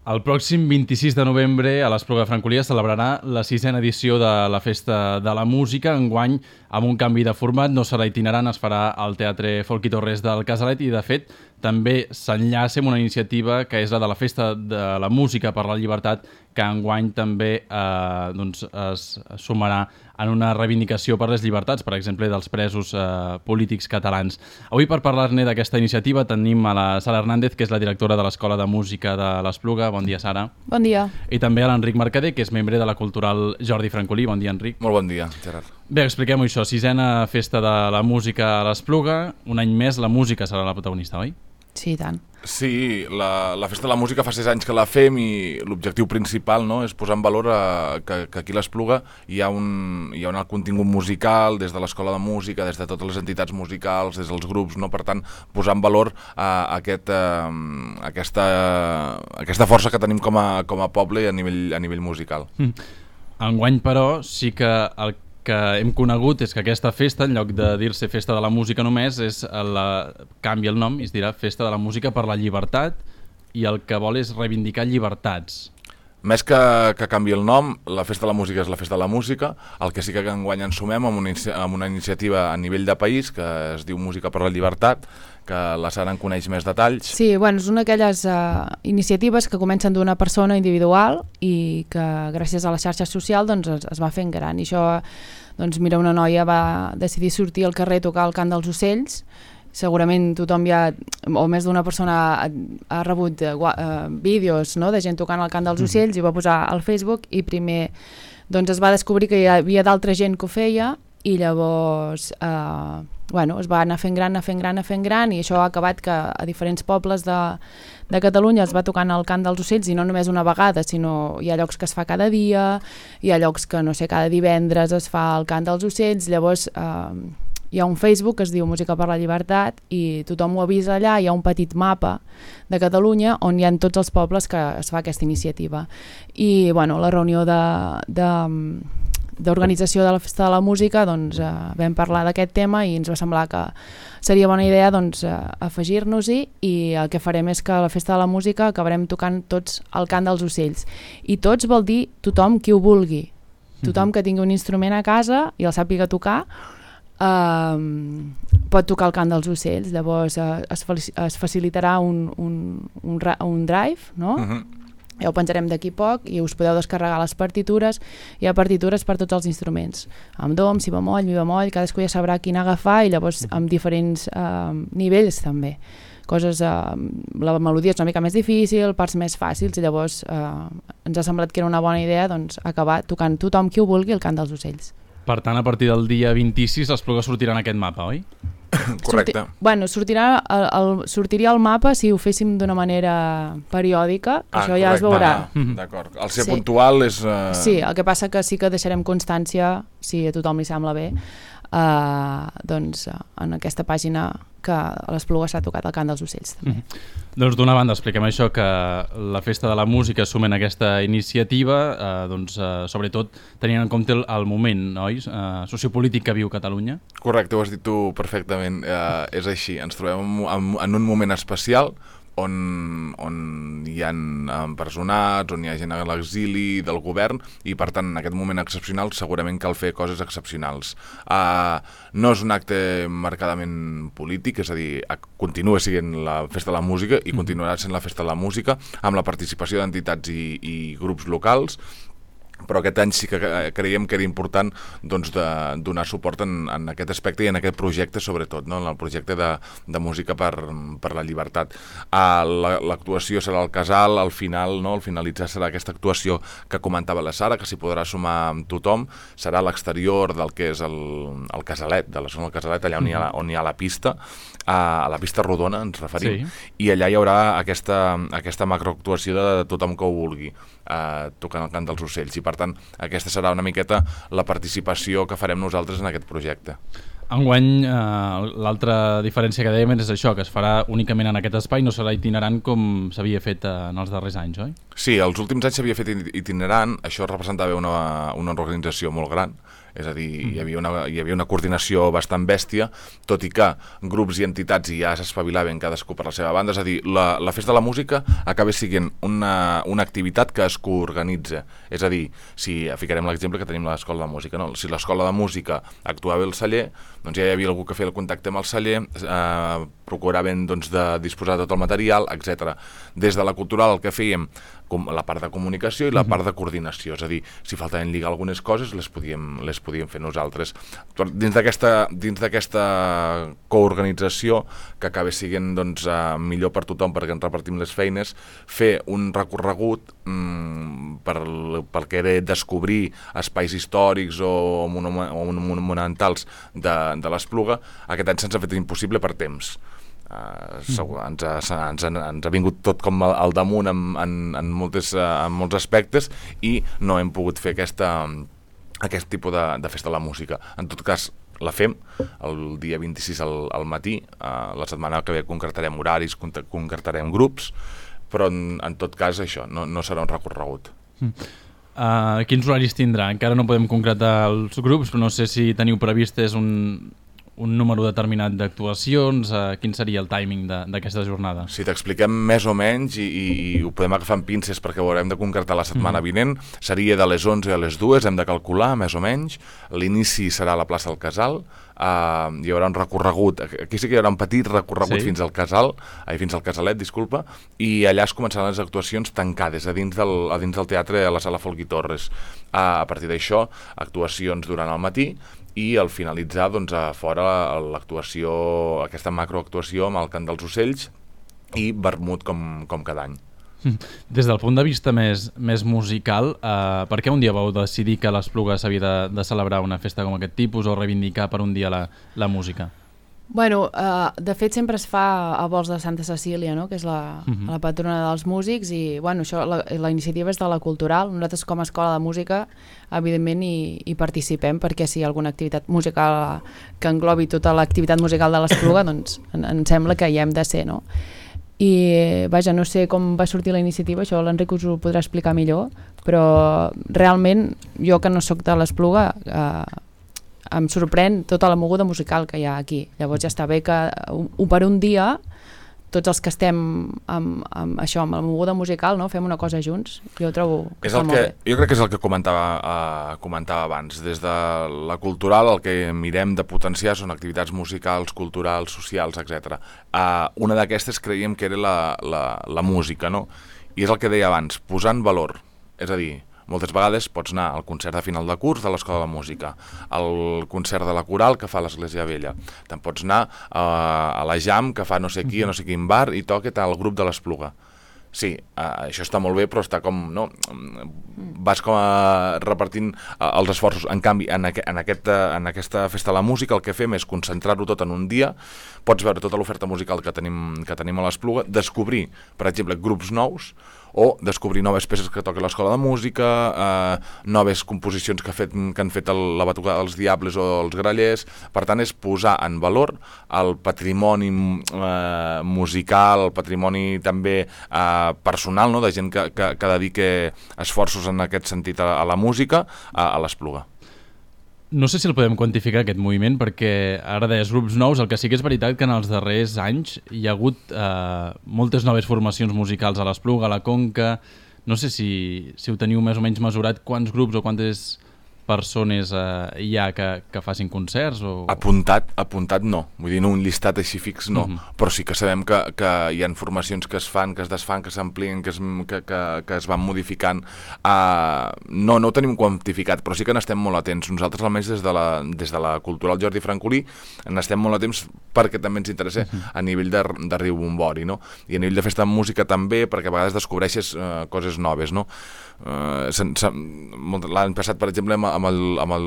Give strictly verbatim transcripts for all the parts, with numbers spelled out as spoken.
El pròxim vint-i-sis de novembre a l'Espluga de Francolí es celebrarà la sisena edició de la Festa de la Música. Enguany, amb un canvi de format, no serà itinerant, es farà al Teatre Folch i Torres del Casalet i, de fet, també s'enllaça amb una iniciativa que és la de la Festa de la Música per la Llibertat, que enguany també eh, doncs es sumarà en una reivindicació per les llibertats, per exemple, dels presos eh, polítics catalans. Avui, per parlar-ne d'aquesta iniciativa, tenim a la Sara Hernández, que és la directora de l'Escola de Música de l'Espluga. Bon dia, Sara. Bon dia. I també a l'Enric Mercader, que és membre de la Cultural Jordi Francolí. Bon dia, Enric. Molt bon dia, Gerard. Bé, expliquem-ho això. Sisena Festa de la Música a l'Espluga. Un any més la música serà la protagonista, oi? Sí, i tant. Sí, la, la Festa de la Música fa sis anys que la fem i l'objectiu principal, no, és posar en valor a, que, que aquí a l'Espluga hi ha un, hi ha un contingut musical des de l'Escola de Música, des de totes les entitats musicals, des dels grups, no? Per tant, posar en valor a, a aquest, a, aquesta, a aquesta força que tenim com a, com a poble a nivell, a nivell musical. Mm. Enguany, però, sí que el que hem conegut és que aquesta festa, en lloc de dir-se Festa de la Música només, és la... canvia el nom i es dirà Festa de la Música per la Llibertat, i el que vol és reivindicar llibertats. Més que, que canvi el nom, la Festa de la Música és la Festa de la Música. El que sí que enguany ens sumem amb una, amb una iniciativa a nivell de país que es diu Música per la Llibertat, que la Sara en coneix més detalls. Sí, bueno, és una d'aquelles uh, iniciatives que comencen d'una persona individual i que gràcies a la xarxa social doncs, es, es va fent gran. I això, doncs mira, una noia va decidir sortir al carrer a tocar el cant dels ocells. Segurament tothom ja, o més d'una persona ha, ha rebut uh, uh, vídeos, no?, de gent tocant el cant dels ocells, mm. i va posar al Facebook, i primer doncs, es va descobrir que hi havia d'altra gent que ho feia, i llavors eh, bueno, es va anar fent gran, anar fent gran, anar fent gran, i això ha acabat que a diferents pobles de, de Catalunya es va tocant el cant dels ocells, i no només una vegada, sinó hi ha llocs que es fa cada dia, hi ha llocs que, no sé, cada divendres es fa el cant dels ocells. Llavors eh, hi ha un Facebook que es diu Música per la Llibertat i tothom ho avisa allà. Hi ha un petit mapa de Catalunya on hi ha tots els pobles que es fa aquesta iniciativa. I bueno, la reunió de... de d'organització de la Festa de la Música, doncs eh, vam parlar d'aquest tema i ens va semblar que seria bona idea doncs, eh, afegir-nos-hi, i el que farem és que a la Festa de la Música acabarem tocant tots el cant dels ocells, i tots vol dir tothom qui ho vulgui, tothom que tingui un instrument a casa i el sàpiga tocar eh, pot tocar el cant dels ocells. Llavors eh, es, es facilitarà un, un, un, un drive, no? Uh-huh. Ja ho penjarem d'aquí poc i us podeu descarregar les partitures. Hi ha partitures per tots els instruments, amb do, amb si bemoll, mi bemoll, cadascú ja sabrà quin agafar, i llavors amb diferents eh, nivells també. Coses, eh, la melodia és una mica més difícil, parts més fàcils, i llavors eh, ens ha semblat que era una bona idea doncs, acabar tocant tothom qui ho vulgui el cant dels ocells. Per tant, a partir del dia vint-i-sis l'Espluga sortirà en aquest mapa, oi? Correcte. Sorti... Bueno, sortirà el, el, sortiria el mapa si ho féssim d'una manera periòdica, que ah, això ja correcte. es veurà. Ah, d'acord. El ser sí. puntual és... Uh... Sí, el que passa que sí que deixarem constància, si a tothom li sembla bé, uh, doncs uh, en aquesta pàgina que a l'Espluga s'ha tocat el cant dels ocells. També. Mm-hmm. Doncs d'una banda expliquem això, que la Festa de la Música assumen aquesta iniciativa, eh, doncs, eh, sobretot tenint en compte el, el moment, oi? Eh, sociopolític que viu Catalunya. Correcte, ho has dit tu perfectament, eh, és així, ens trobem en, en un moment especial on, on hi ha empresonats, on hi ha gent a l'exili del govern, i per tant en aquest moment excepcional segurament cal fer coses excepcionals. Uh, no és un acte marcadament polític, és a dir, continua sent la Festa de la Música i continuarà sent la Festa de la Música amb la participació d'entitats i, i grups locals, però aquest any sí que creiem que era important doncs, de donar suport en, en aquest aspecte i en aquest projecte, sobretot, no? En el projecte de, de música per, per la llibertat. Uh, L'actuació serà al Casal, al final, no? Al finalitzar serà aquesta actuació que comentava la Sara, que s'hi podrà sumar amb tothom, serà a l'exterior del que és el, el Casalet, de la zona del Casalet, allà on hi ha la, on hi ha la pista, uh, a la pista rodona ens referim, sí. I allà hi haurà aquesta, aquesta macroactuació de tothom que ho vulgui, uh, tocant el cant dels ocells, i per tant aquesta serà una miqueta la participació que farem nosaltres en aquest projecte. Enguany, eh, l'altra diferència que dèiem és això, que es farà únicament en aquest espai, no serà itinerant com s'havia fet en els darrers anys, oi? Sí, els últims anys s'havia fet itinerant, això representava una, una organització molt gran, és a dir, mm. hi havia una, hi havia una coordinació bastant bèstia, tot i que grups i entitats ja s'espavilaven cadascú per la seva banda, és a dir, la, la Festa de la Música acaba sent una, una activitat que es coorganitza, és a dir, si ficarem l'exemple que tenim a l'Escola de Música, no? Si l'Escola de Música actuava al celler, doncs ja hi havia algú que feia el contacte amb el celler, eh, procuraven doncs, de disposar de tot el material, etcètera. Des de la cultural el que fèiem, com la part de comunicació i la part de coordinació, és a dir, si faltaven lligar algunes coses les podíem, les podíem fer nosaltres. Dins d'aquesta dins d'aquesta coorganització, que acaba sent doncs, uh, millor per tothom perquè ens repartim les feines, fer un recorregut mm, per, pel que era descobrir espais històrics o, monum o monumentals de, de l'Espluga, aquest any se'ns ha fet impossible per temps. Uh, segur, ens, ha, ens, ha, ens ha vingut tot com al damunt en, en, en, moltes, uh, en molts aspectes i no hem pogut fer aquesta, aquest tipus de, de festa de la música. En tot cas, la fem el dia vint-i-sis al, al matí, uh, la setmana que ve concretarem horaris, concretarem grups, però en, en tot cas això, no, no serà un recorregut. Mm. Uh, quins horaris tindrà? Encara no podem concretar els grups, però no sé si teniu previst és un... un número determinat d'actuacions, eh, quin seria el timing d'aquesta jornada? Si t'expliquem més o menys i, i, i ho podem agafar amb pinces perquè ho haurem de concretar la setmana mm. vinent, seria de les onze a les dues, hem de calcular més o menys, l'inici serà a la plaça del Casal, uh, hi haurà un recorregut, aquí sí que hi haurà un petit recorregut sí. fins al Casal, ai, fins al Casalet, disculpa, i allà es començaran les actuacions tancades a dins del, a dins del teatre a la sala Folgui Torres. Uh, a partir d'això, actuacions durant el matí, i al finalitzar doncs, a fora l'actuació, aquesta macroactuació amb el Cant dels Ocells i vermut com, com cada any. Des del punt de vista més, més musical, eh, per què un dia vau decidir que a l'Espluga s'havia de, de celebrar una festa com aquest tipus o reivindicar per un dia la, la música? Bueno, uh, de fet sempre es fa a vols de Santa Cecília, no? Que és la, uh-huh. la patrona dels músics i bueno, això, la, la iniciativa és de la Cultural. Nosaltres com a escola de música evidentment hi, hi participem perquè si hi ha alguna activitat musical que englobi tota l'activitat musical de l'Espluga doncs en, em sembla que hi hem de ser, no? I vaja, no sé com va sortir la iniciativa, això l'Enric us ho podrà explicar millor, però realment jo que no sóc de l'Espluga eh, em sorprèn tota la moguda musical que hi ha aquí. Llavors ja està bé que un, per un dia tots els que estem amb, amb això, amb la moguda musical, no? Fem una cosa junts. Jo trobo que és està el molt que, bé. Jo crec que és el que comentava, uh, comentava abans. Des de la cultural el que mirem de potenciar són activitats musicals, culturals, socials, etcètera. Uh, una d'aquestes creiem que era la, la, la música, no? I és el que deia abans, posar en valor. És a dir, moltes vegades pots anar al concert de final de curs de l'Escola de Música, al concert de la coral que fa l'Església Vella, te'n pots anar uh, a la jam que fa no sé qui, a no sé quin bar i toca el grup de l'Espluga. Sí, uh, això està molt bé, però està com, no, vas com a repartint uh, els esforços. En canvi, en, aqu en, aquest, uh, en aquesta festa de la música el que fem és concentrar-ho tot en un dia, pots veure tota l'oferta musical que tenim, que tenim a l'Espluga, descobrir, per exemple, grups nous, o descobrir noves peces que toca l'Escola de Música, eh, noves composicions que, ha fet, que han fet el, la Batucada dels Diables o els Grallers. Per tant, és posar en valor el patrimoni eh, musical, el patrimoni també eh, personal, no?, de gent que, que, que dedica esforços en aquest sentit a, a la música, a, a l'Espluga. No sé si el podem quantificar, aquest moviment, perquè ara deies grups nous, el que sí que és veritat que en els darrers anys hi ha hagut eh, moltes noves formacions musicals a l'Espluga, a la Conca. No sé si, si ho teniu més o menys mesurat, quants grups o quantes persones eh, hi ha que, que facin concerts? O... Apuntat, apuntat no. Vull dir, no un llistat així fix no, uh-huh. Però sí que sabem que, que hi ha formacions que es fan, que es desfan, que s'amplien, que, es, que, que, que es van modificant. Uh, no, no ho tenim quantificat, però sí que n'estem molt atents. Nosaltres, almenys des de la, des de la Cultural Jordi Francolí, n'estem molt atents perquè també ens interessa uh-huh. a nivell de, de Riu Bombori, no? I a nivell de festa de música també, perquè a vegades descobreixes uh, coses noves, no? Uh, l'any passat, per exemple, amb el, amb el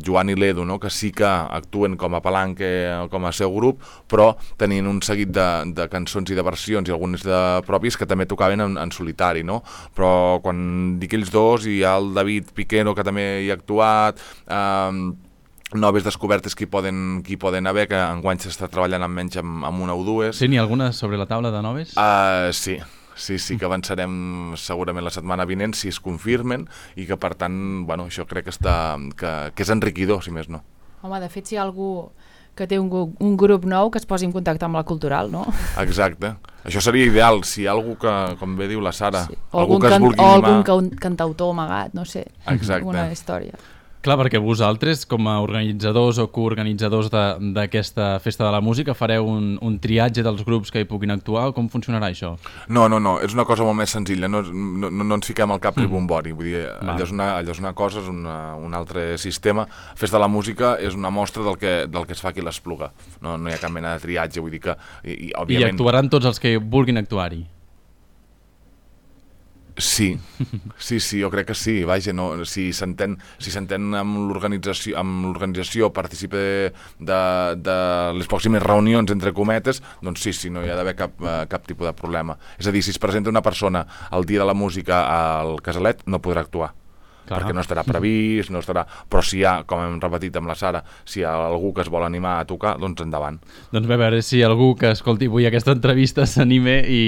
Joan i l'Edu, no? Que sí que actuen com a palanque, com a seu grup, però tenien un seguit de, de cançons i de versions i algunes de pròpies que també tocaven en, en solitari, no? Però quan dic ells dos, hi ha el David Piquero, que també hi ha actuat, eh, noves descobertes que hi poden, que hi poden haver, que enguany s'està treballant almenys amb, amb una o dues. Sí, n'hi ha alguna sobre la taula de noves? Uh, sí. Sí, sí, que avançarem segurament la setmana vinent, si es confirmen, i que, per tant, bueno, això crec que, està, que, que és enriquidor, si més no. Home, de fet, si hi ha algú que té un, un grup nou, que es posi en contacte amb la Cultural, no? Exacte. Això seria ideal, si hi ha algú que, com bé diu la Sara, sí. algú que can, es vulgui o animar... algun can, cantautor amagat, no sé, Exacte. alguna història. Clar, perquè vosaltres, com a organitzadors o coorganitzadors d'aquesta Festa de la Música, fareu un, un triatge dels grups que hi puguin actuar, o com funcionarà això? No, no, no, és una cosa molt més senzilla, no, no, no ens fiquem al cap mm. ribombori, vull dir, allò és, una, allò és una cosa, és una, un altre sistema. Festa de la Música és una mostra del que, del que es fa aquí l'Espluga, no, no hi ha cap mena de triatge, vull dir que... I, i, òbviament... I actuaran tots els que vulguin actuar-hi? Sí, sí, sí, jo crec que sí, vaja, no, si s'entén si s'entén amb l'organització amb l'organització participa de, de, de les pròximes reunions, entre cometes, doncs sí, sí, no hi ha d'haver cap, cap tipus de problema. És a dir, si es presenta una persona el dia de la música al Casalet, no podrà actuar. Clar. Perquè no estarà previst, no estarà... Però si hi ha, com hem repetit amb la Sara, si hi ha algú que es vol animar a tocar, doncs endavant. Doncs bé, a veure si algú que escolti avui aquesta entrevista s'anime i,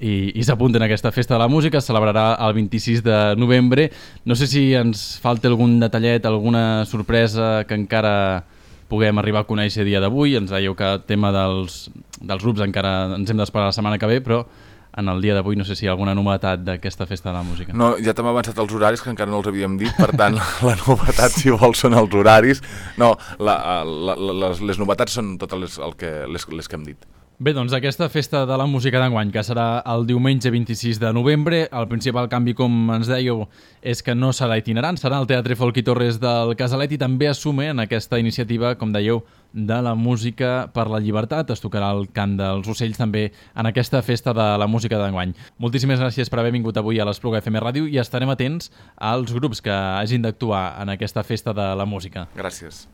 i, i s'apunta en aquesta Festa de la Música. Es celebrarà el vint-i-sis de novembre. No sé si ens falta algun detallet, alguna sorpresa que encara puguem arribar a conèixer a dia d'avui. Ens dèieu que el tema dels, dels grups encara ens hem d'esperar la setmana que ve, però en el dia d'avui no sé si hi ha alguna novetat d'aquesta Festa de la Música. No, ja t'hem avançat els horaris, que encara no els havíem dit, per tant, la novetat, si vols, són els horaris. No, la, la, les, les novetats són totes les, el que, les, les que hem dit. Bé, doncs aquesta Festa de la Música d'enguany, que serà el diumenge vint-i-sis de novembre, el principal canvi, com ens dèieu, és que no serà itinerant, serà al Teatre Folk i Torres del Casalet, i també assume en aquesta iniciativa, com dèieu, de la música per la llibertat. Es tocarà el cant dels ocells també en aquesta Festa de la Música d'enguany. Moltíssimes gràcies per haver vingut avui a l'Espluga F M Ràdio i estarem atents als grups que hagin d'actuar en aquesta Festa de la Música. Gràcies.